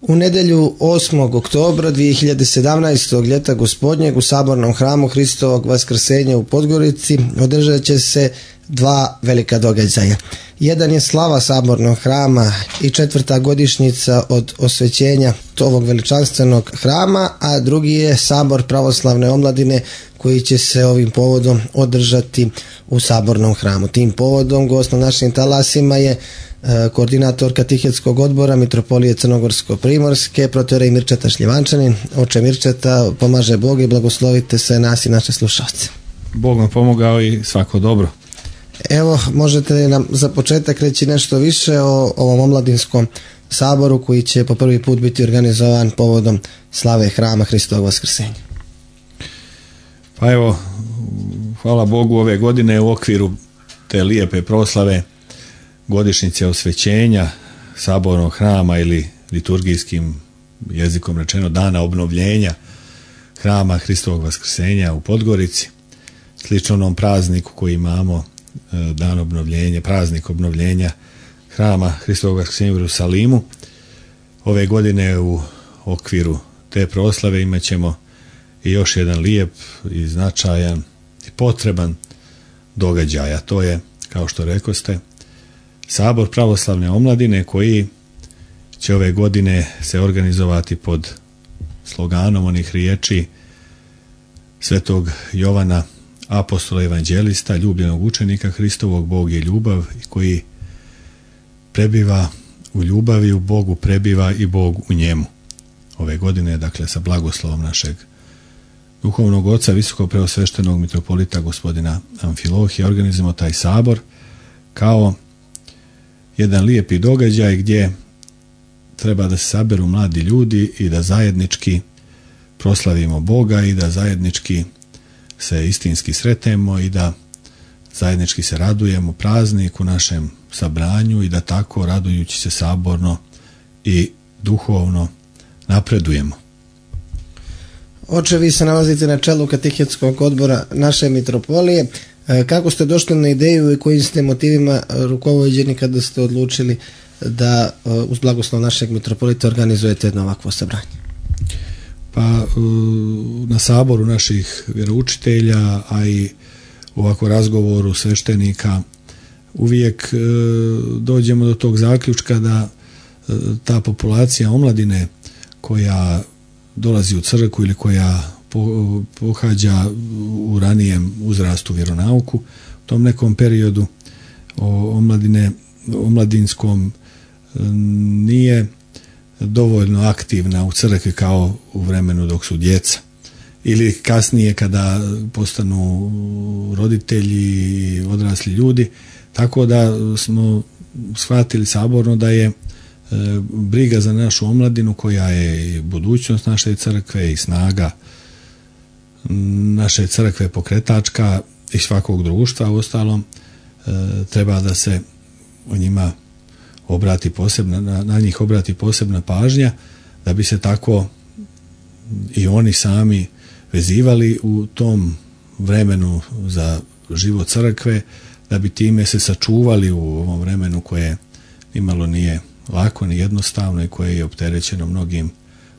U nedjelju 8. oktobra 2017. ljeta gospodnjeg u Sabornom hramu Hristovog Vaskrsenja u Podgorici održat će se dva velika događaja. Jedan je slava Sabornog hrama i 4. godišnjica od osvećenja ovog veličanstvenog hrama, a drugi je Sabor pravoslavne omladine koji će se ovim povodom održati u Sabornom hramu. Tim povodom gost na našim talasima je koordinator katehetskog odbora Mitropolije Crnogorsko-Primorske, protoijerej Mirčeta Šljivančanin. Oče Mirčeta, pomaže Bog i blagoslovite se nas i naše slušalce. Bog vam pomogao i svako dobro. Evo, možete nam za početak reći nešto više o ovom omladinskom saboru koji će po prvi put biti organizovan povodom slave hrama Hristovog Vaskrsenja? Pa evo, hvala Bogu, ove godine u okviru te lijepe proslave godišnjice osvećenja Sabornog hrama ili liturgijskim jezikom rečeno dana obnovljenja hrama Hristovog Vaskrsenja u Podgorici, slično onom prazniku koji imamo, dan obnovljenja, praznik obnovljenja hrama Hristovog Vaskrsenja u Jerusalimu. Ove godine u okviru te proslave imat ćemo i još jedan lijep i značajan i potreban događaj, a to je, kao što rekoste, Sabor pravoslavne omladine koji će ove godine se organizovati pod sloganom onih riječi Svetog Jovana, apostola evanđelista, ljubljenog učenika Hristovog, Bog je ljubav, i koji prebiva u ljubavi, u Bogu prebiva i Bog u njemu. Ove godine, dakle, sa blagoslovom našeg duhovnog oca, visokog preosveštenog mitropolita gospodina Amfilohija, organizujemo taj sabor kao jedan lijepi događaj gdje treba da se saberu mladi ljudi i da zajednički proslavimo Boga i da zajednički se istinski sretemo i da zajednički se radujemo prazniku našem sabranju i da tako, radujući se saborno i duhovno, napredujemo. Oče, vi se nalazite na čelu katehetskog odbora naše mitropolije. Kako ste došli na ideju i kojim ste motivima rukovođeni kada ste odlučili da uz blagoslov našeg mitropolita organizujete jedno ovakvo sabranje? Pa na saboru naših vjeroučitelja, a i u ovako razgovoru sveštenika uvijek dođemo do tog zaključka da ta populacija omladine koja dolazi u crkvu ili koja pohađa u ranijem uzrastu vjeronauku, u tom nekom periodu omladinskom nije dovoljno aktivna u crkvi kao u vremenu dok su djeca ili kasnije kada postanu roditelji, odrasli ljudi, tako da smo shvatili saborno da je briga za našu omladinu, koja je budućnost naše crkve i snaga naše crkve pokretačka i svakog društva, uostalom treba da se o njima obrati na njih obrati posebna pažnja, da bi se tako i oni sami vezivali u tom vremenu za život crkve, da bi time se sačuvali u ovom vremenu koje nimalo nije lako ni jednostavno i koje je opterećeno mnogim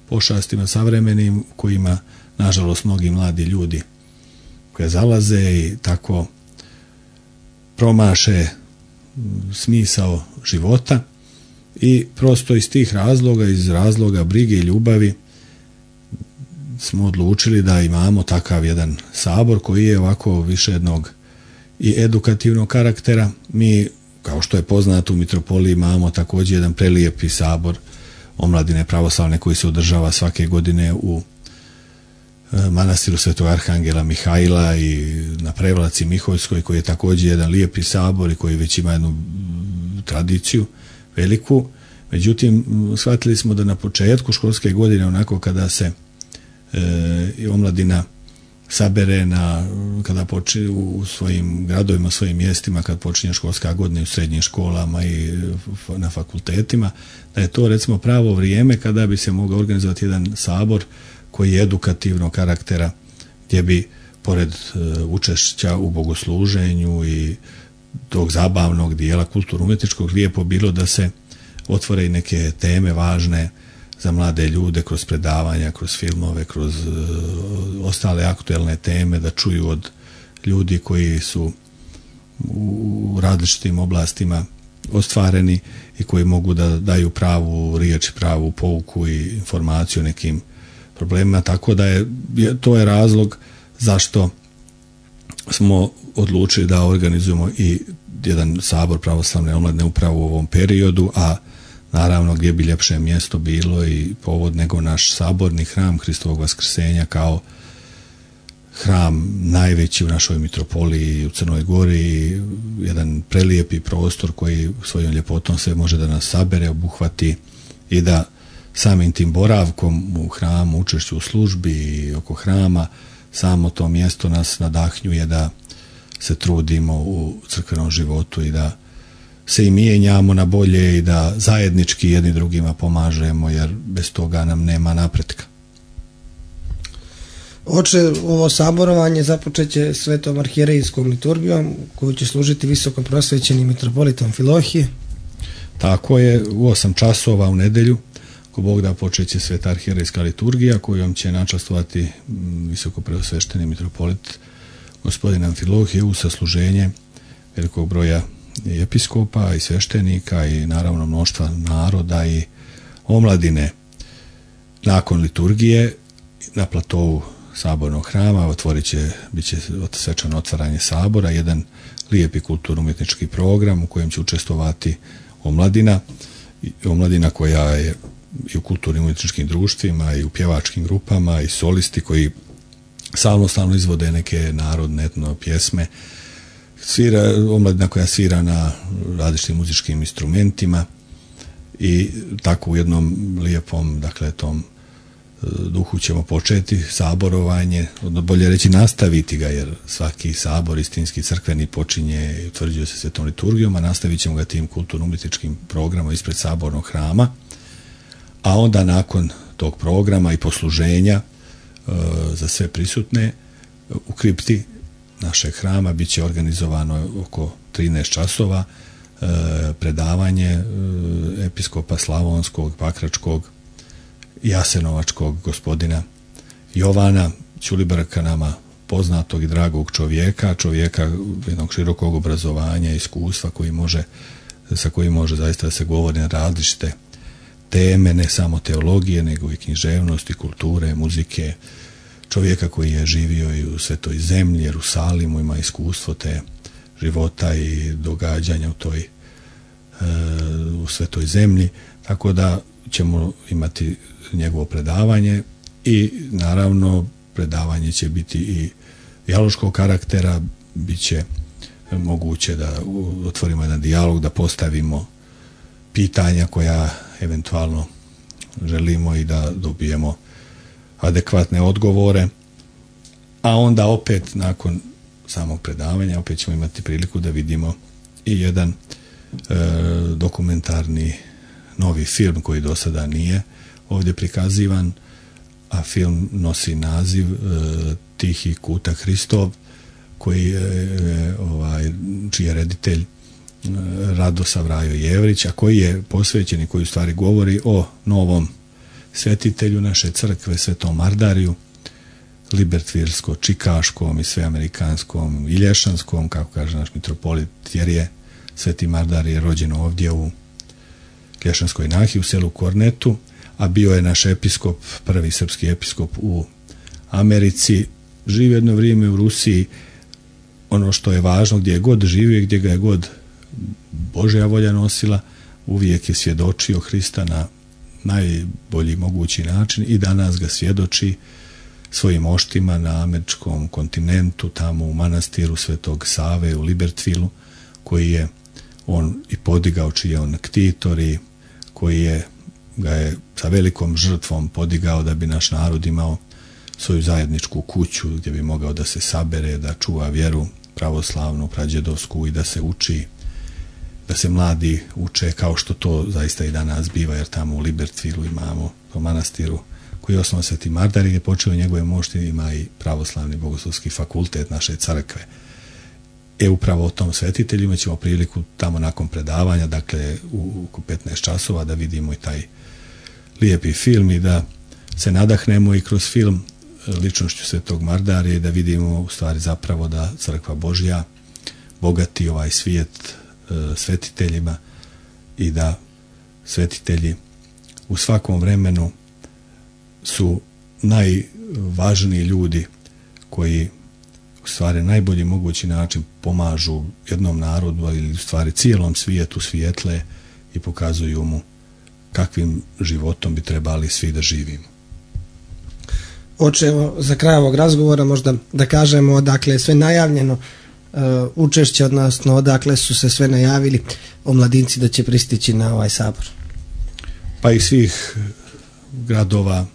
pošastima savremenim, kojima nažalost mnogi mladi ljudi koje zalaze i tako promaše smisao života, i prosto iz tih razloga, iz razloga brige i ljubavi, smo odlučili da imamo takav jedan sabor koji je ovako više jednog i edukativnog karaktera. Mi, kao što je poznato, u mitropoliji imamo također jedan prelijepi sabor omladine pravoslavne koji se održava svake godine u manastiru Svetog Arhangela Mihajla i na Prevlaci Miholjskoj, koji je također jedan lijepi sabor i koji već ima jednu tradiciju veliku. Međutim, shvatili smo da na početku školske godine, onako kada se omladina sabere kada počne u svojim gradovima, svojim mjestima, kad počinje školska godina u srednjim školama i na fakultetima, da je to recimo pravo vrijeme kada bi se mogao organizovati jedan sabor koji je edukativnog karaktera, gdje bi pored učešća u bogosluženju i tog zabavnog dijela kulturno-umjetničkog lijepo bilo da se otvore i neke teme važne za mlade ljude kroz predavanja, kroz filmove, kroz ostale aktuelne teme, da čuju od ljudi koji su u različitim oblastima ostvareni i koji mogu da daju pravu riječ, pravu pouku i informaciju o nekim problemima, tako da to je razlog zašto smo odlučili da organizujemo i jedan sabor pravoslavne omladine upravo u ovom periodu, a naravno gdje bi ljepše mjesto bilo i povod nego naš saborni hram Hristovog Vaskrsenja kao hram najveći u našoj mitropoliji u Crnoj Gori, jedan prelijepi prostor koji svojom ljepotom sve može da nas sabere, obuhvati i da samim tim boravkom u hramu, učešću u službi i oko hrama, samo to mjesto nas nadahnjuje da se trudimo u crkvenom životu i da se i mijenjamo na bolje i da zajednički jedni drugima pomažemo, jer bez toga nam nema napretka. Oče, ovo saborovanje započeće svetom arhijerejskom liturgijom koju će služiti visoko prosvećenim mitropolitom Filohije. Tako je, u 8 časova u nedjelju, ako Bog da, počeće sveta arhijerejska liturgija kojom će načastovati visoko preosvešteni mitropolit gospodin Amfilohije u sasluženje velikog broja i episkopa i sveštenika i naravno mnoštva naroda i omladine. Nakon liturgije na platovu sabornog hrama bit će svečano otvaranje sabora, jedan lijepi kulturno-umjetnički program u kojem će učestvovati omladina koja je i u kulturnim umjetničkim društvima i u pjevačkim grupama i solisti koji samostalno izvode neke narodne etno pjesme, omladina koja svira na različitim muzičkim instrumentima i tako u jednom lijepom, dakle, tom duhu ćemo početi saborovanje, bolje reći nastaviti ga, jer svaki sabor istinski crkveni počinje i utvrđuje se svetom liturgijom, a nastavit ćemo ga tim kulturno-umjetničkim programom ispred sabornog hrama, a onda nakon tog programa i posluženja za sve prisutne u kripti našeg hrama bit će organizovano oko 13 časova predavanje episkopa Slavonskog, Pakračkog, Jasenovačkog gospodina Jovana Ćulibrka, nama poznatog i dragog čovjeka jednog širokog obrazovanja i iskustva sa kojim može zaista da se govori na različite teme, ne samo teologije, nego i književnosti, kulture, muzike, čovjeka koji je živio i u Svetoj zemlji, Jerusalimu, ima iskustvo te života i događanja u Svetoj zemlji, tako da ćemo imati njegovo predavanje i naravno predavanje će biti i dijaloškog karaktera, bit će moguće da otvorimo jedan dijalog, da postavimo pitanja koja eventualno želimo i da dobijemo adekvatne odgovore, a onda opet nakon samog predavanja opet ćemo imati priliku da vidimo i jedan dokumentarni novi film koji do sada nije ovdje prikazivan, a film nosi naziv Tihi kutak Hristov, čiji je reditelj Radosav Rajo Jevrić, a koji je posvećen i koji u stvari govori o novom svetitelju naše crkve, Svetom Mardariju, libertvirsko-čikaškom i sveamerikanskom i lješanskom, kako kaže naš mitropolit, jer je Sveti Mardar je rođen ovdje u Lješanskoj Nahi u selu Kornetu, a bio je naš episkop, prvi srpski episkop u Americi, živio jedno vrijeme u Rusiji. Ono što je važno, gdje je god živio, gdje ga je god Božja volja nosila, uvijek je svjedočio Hrista na najbolji mogući način i danas ga svjedoči svojim oštima na američkom kontinentu, tamo u manastiru Svetog Save u Libertvilu, koji je on i podigao, čiji je on ktitor i koji ga je sa velikom žrtvom podigao da bi naš narod imao svoju zajedničku kuću gdje bi mogao da se sabere, da čuva vjeru pravoslavnu, prađedovsku i da se uči, da se mladi uče kao što to zaista i danas biva, jer tamo u Libertvilu imamo u manastiru koji je osnovan Sveti Mardar i gdje počeo njegove mošti, ima i pravoslavni bogoslovski fakultet naše crkve. Upravo o tom svetitelju imat ćemo priliku tamo nakon predavanja, dakle u 15 časova, da vidimo i taj lijepi film i da se nadahnemo i kroz film ličnošću Svetog Mardarija i da vidimo u stvari zapravo da Crkva Božja bogati ovaj svijet svetiteljima i da svetitelji u svakom vremenu su najvažniji ljudi koji u stvari najbolji mogući način pomažu jednom narodu ili u stvari cijelom svijetu svijetle i pokazuju mu kakvim životom bi trebali svi da živimo. Oče, evo, za kraj ovog razgovora možda da kažemo odakle je sve najavljeno učešće, odnosno odakle su se sve najavili omladinci da će pristići na ovaj sabor. Pa iz svih gradova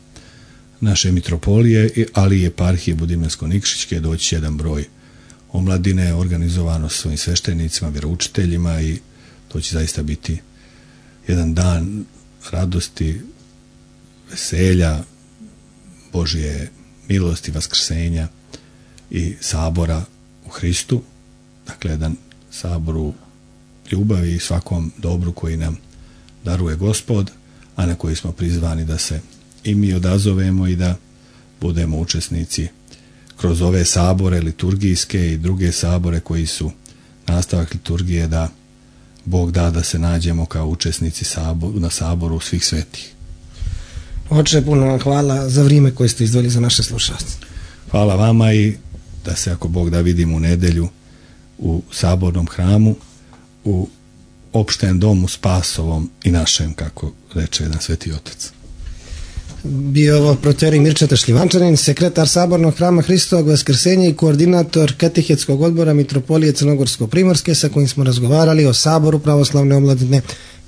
naše mitropolije, ali i eparhije Budimljansko-Nikšićke doći će jedan broj omladine organizovano s svojim sveštenicima, vjeroučiteljima i to će zaista biti jedan dan radosti, veselja, Božje milosti, vaskrsenja i sabora u Hristu. Dakle, jedan sabor u ljubavi i svakom dobru koji nam daruje Gospod, a na koji smo prizvani da se i mi odazovemo i da budemo učesnici kroz ove sabore liturgijske i druge sabore koji su nastavak liturgije, da Bog da se nađemo kao učesnici na saboru svih svetih. Oče, puno vam hvala za vrijeme koje ste izdvojili za naše slušalce. Hvala vama i da se, ako Bog da, vidimo u nedjelju u sabornom hramu, u opštem domu Spasovom i našem, kako reče jedan sveti otac. Bio ovo proteorij Mirčeta Šljivančanin, sekretar Sabornog hrama Hristovog Vaskrsenja i koordinator Katehetskog odbora Mitropolije Crnogorsko-Primorske, sa kojim smo razgovarali o Saboru pravoslavne omladine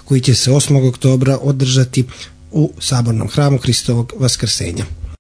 koji će se 8. oktobra održati u Sabornom hramu Hristovog Vaskrsenja.